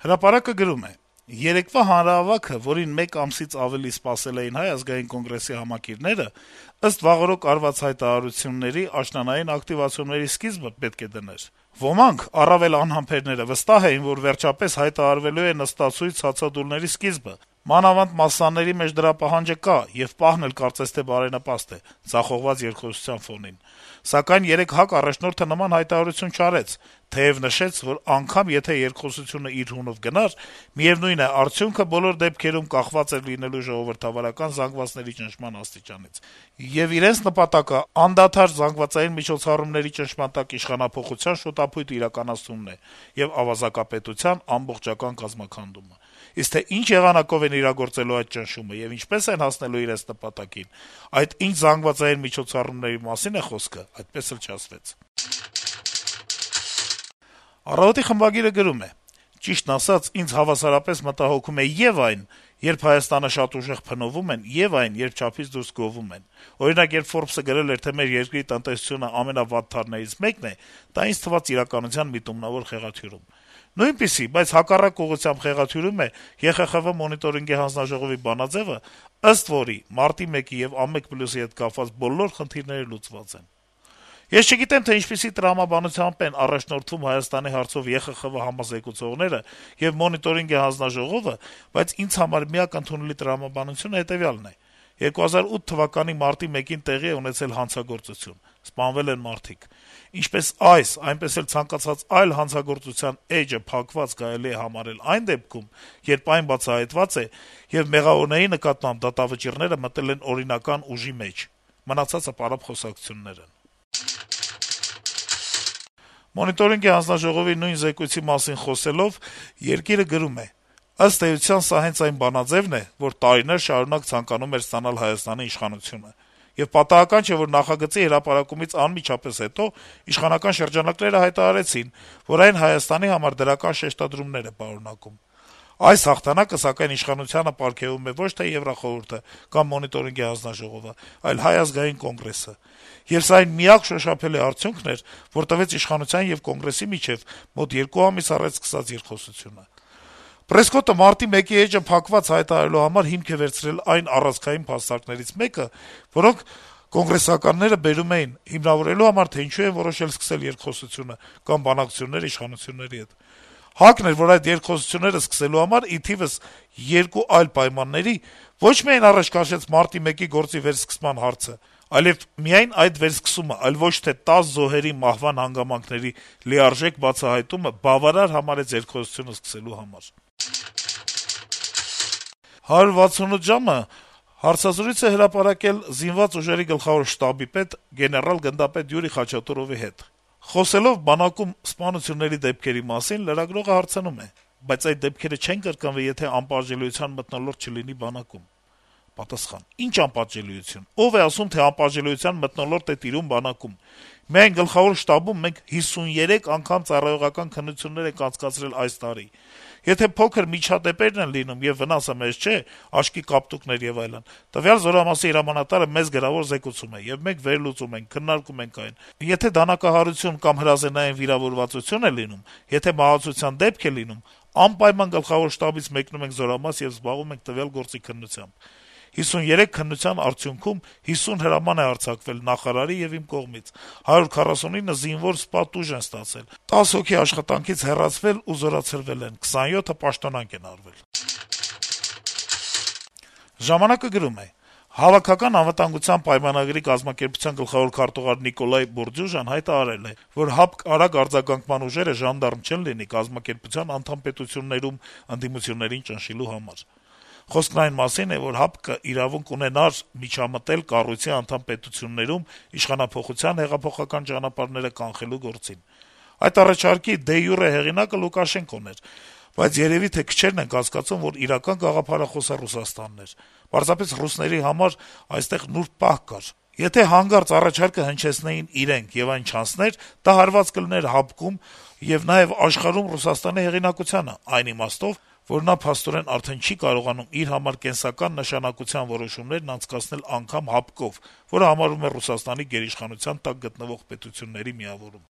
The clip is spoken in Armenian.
Հրապարակը գրում է. - «Երեկվա հանրահավաքը, որին մեկ ամսից ավելի սպասել էին Հայ ազգային կոնգրեսի համակիրները, ըստ վաղօրոք արված հայտարարությունների, աշնանային ակտիվացիաների սկիզբը պետք է դներ: Ոմանք, առավել անհամբերները, վստահ էին, որ վերջապես հայտարարվելու է նստացույց հացադուլների սկիզբը: Մանավանդ մասսաների մեջ դրա պահանջը կա, եւ պահն էլ կարծես թե բարենպաստ է` ձախողված երկխոսության ֆոնին: Սակայն երեկ ՀԱԿ առաջնորդը նման հայտարարություն չարեց, թեեւ նշեց, որ անգամ եթե երկխոսությունը իր հունով գնար, միեւնույն է, արդյունքը բոլոր դեպքերում կախված էր լինելու ժողովրդավարական զանգվածների ճնշման աստիճանից: Եվ իրենց նպատակը անդադար ԶՄՄ-ների ճնշման տակ իշխանափոխության շուտափույթ իրականացնումն է եւ ավազակապետության ամբողջական կազմաքանդումը: Իսկ թե ինչ եղանակով են իրագործելու այդ ճնշումը եւ ինչպես են հասնելու իրենց նպատակին, այդ ինչ զանգվածային միջոցառումների մասին է խոսքը, այդպես էլ չասվեց»: «Առավոտ»-ի խմբագիրը գրում է. - «Ճիշտն ասած, ինձ հավասարապես մտահոգում է եւ այն, երբ Հայաստանը շատ ուժեղ փնովում են, եւ այն, երբ չափից դուրս գովում են: Օրինակ, երբ «Ֆորբս»-ը գրել էր, թե մեր երկրի տնտեսությունը ամենավատ թարներից մեկն է, դա ինձ թվաց իրականության միտումնավոր խեղաթյուրում: Նույնպիսի, բայց հակառակ ուղղությամբ խեղաթյուրում է ԵԽԽՎ մոնիտորինգի հանձնաժողովի բանաձեւը, ըստ որի մարտի 1-ի եւ ԱՄԵԿ+-ի հետ կապված բոլոր խնդիրները լուծված են: Ես չգիտեմ, թե ինչպիսի տրամաբանությամբ են առաջնորդվում Հայաստանի հարցով ԵԽԽՎ համազեկուցողները եւ մոնիտորինգի հանձնաժողովը, բայց ինձ համար միակ ընդունելի տրամաբանությունը հետեւյալն է. 2008 թվականի մարտի 1-ին տեղի է ունեցել հանցագործություն, սպանվել են մարդիկ: Ինչպես այս, այնպես էլ ցանկացած այլ հանցագործության էջը փակված կարելի է համարել այն դեպքում, երբ այն բացահայտված է, եւ մեղավորների նկատմամբ դատավճիռները մտել են օրինական ուժի մեջ: Մնացածը պարապ խոսակցություններ են»: Մոնիտորինգի հանձնաժողովի նույն զեկույցի մասին խոսելով` «Երկիր»-ը գրում է. - «Ըստ էության, սա հենց այն բանաձեւն է, որ տարիներ շարունակ ցանկանում էր ստանալ Հայաստանի իշխանությունը: Եվ պատահական չէ, որ նախագծի հրապարակումից անմիջապես հետո իշխանական շրջանակները հայտարարեցին, որ այն Հայաստանի համար դրական շեշտադրումներ է պարունակում: Այս հաղթանակը, սակայն, իշխանությանը պարգեւում է ոչ թե Եվրախորհուրդը կամ մոնիտորինգի հանձնաժողովը, այլ Հայ ազգային կոնգրեսը: Եվ սա այն միակ շոշափելի արդյունքն էր, որ տվեց իշխանության եւ Կոնգրեսի միջեւ մոտ 2 ամիս առաջ սկսած երկխոսությունը: Պրեսկոտը մարտի 1-ի էջը փակված հայտարարելու համար հիմք է վերցրել այն առանցքային փաստարկներից մեկը, որոնք կոնգրեսականները բերում էին` հիմնավորելու համար, թե ինչու են որոշել սկսել երկխոսությունը կամ բանակցություններ իշխանությունների հետ: ՀԱԿ-ն էր, որ այդ երկխոսությունները սկսելու համար, ի թիվս 2 այլ պայմանների, ոչ միայն առաջ քաշեց մարտի 1-ի գործի վերսկսման հարցը, այլեւ միայն այդ վերսկսումը, այլ ոչ թե 10 զոհերի մահվան հանգամանքների լիարժեք բացահայտումը բավարար համարեց երկխոսությունը սկսելու համար»: «168 ժամ»-ը հարցազրույց է հրապարակել Զինված ուժերի գլխավոր շտաբի պետ գեներալ-գնդապետ Յուրի Խաչատուրովի հետ: Խոսելով բանակում սպանությունների դեպքերի մասին` լրագրողը հարցնում է. - «Բայց այդ դեպքերը չեն կրկնվի, եթե անպատժելիության մթնոլորտ չլինի բանակում»: Պատասխան. - «Ի՞նչ անպատժելիություն: Ո՞վ է ասում, թե անպատժելիության մթնոլորտ է տիրում բանակում: Միայն գլխավոր շտաբում մենք 53 անգամ ծառայողական քննություններ ենք անցկացրել այս տարի: Եթե փոքր միջադեպերն են լինում, եւ վնասը մեծ չէ, աչքի կապտուկներ եւ այլն, տվյալ զորամասի հրամանատարը մեզ գրավոր զեկուցում է, եւ մենք վերլուծում ենք, քննարկում ենք այն: Եթե դանակահարություն կամ հրազենային վիրավորվածություն է լինում, եթե մահացության դեպք է լինում, անպայման գլխավոր շտաբից մեկնում ենք զորամաս եւ զբաղվում ենք տվյալ գործի քննությամբ: 53 քննության արդյունքում 50 հրաման է արձակվել նախարարի եւ իմ կողմից, 149 զինվոր սպա տուժ են ստացել, 10 հոգի աշխատանքից հեռացվել ու զորացրվել են, 27-ը պաշտոնանկ են արվել»: «Ժամանակ»-ը գրում է. - «Հավաքական անվտանգության պայմանագրի կազմակերպության գլխավոր քարտուղար Նիկոլայ Բորդյուժան հայտարարել է, որ ՀԱՊԿ արագ արձագանքման ուժերը ժանդարմ չեն լինի կազմակերպության անդամ պետություններում ընդդիմություններին ճնշելու համար: Խոսքն այն մասին է, որ ՀԱՊԿ-ը իրավունք ունենար միջամտել կառույցի անդամ պետություններում իշխանափոխության հեղափոխական ճանապարհները կանխելու գործին: Այդ առաջարկի դե յուրե հեղինակը Լուկաշենկոն էր, բայց երեւի թե քչերն են կասկածում, որ իրական գաղափարախոսը Ռուսաստանն էր: Պարզապես ռուսների համար այստեղ նուրբ պահ կար: Եթե հանկարծ առաջարկը հնչեցնեին իրենք, եւ այն չանցներ, դա հարված կլիներ ՀԱՊԿ-ում եւ նաեւ աշխարհում Ռուսաստանի հեղինակությանը, այն իմաստով, որ նա փաստորեն արդեն չի կարողանում իր համար կենսական նշանակության որոշումներն անցկացնել անգամ ՀԱՊԿ-ով, որը համարվում է Ռուսաստանի գերիշխանության տակ գտնվող պետությունների միավորում»: